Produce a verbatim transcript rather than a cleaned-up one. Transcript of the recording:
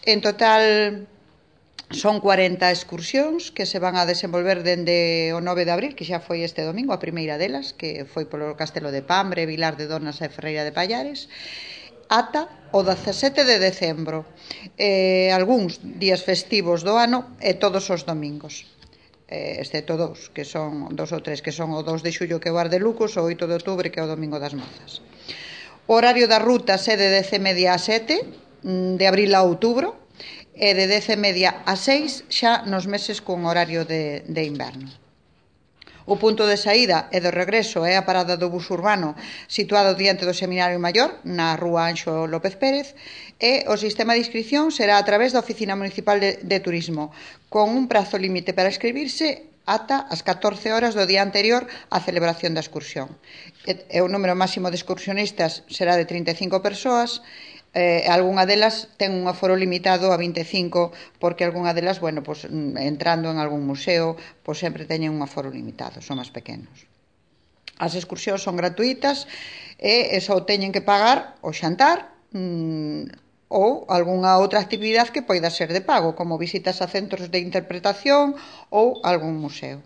En total son cuarenta excursións que se van a desenvolver dende o nove de abril, que xa foi este domingo, a primeira delas, que foi polo Castelo de Pambre, Vilar de Donas e Ferreira de Pallares, ata o dezasete de decembro, eh, algúns días festivos do ano e todos os domingos, eh, excepto dous, que son dos ou tres, que son o dos de xullo, que é o Ardelucos, o oito de outubro, que é o Domingo das Mozas. O horario da ruta é de dez e media a sete, de abril a outubro, e de dez e media a seis xa nos meses con horario de, de inverno. O punto de saída e de regreso é a parada do bus urbano situado diante do Seminario Maior, na rúa Anxo López Pérez, e o sistema de inscripción será a través da Oficina Municipal de, de Turismo, con un prazo límite para inscribirse ata as catorce horas do día anterior á celebración da excursión. E o número máximo de excursionistas será de trinta e cinco persoas, eh, algunha delas ten un aforo limitado a vinte e cinco, porque algunha delas, bueno, pues, entrando en algún museo, pues sempre teñen un aforo limitado, son máis pequenos. As excursións son gratuitas e só teñen que pagar o xantar mmm, ou algunha outra actividade que poida ser de pago, como visitas a centros de interpretación ou algún museo.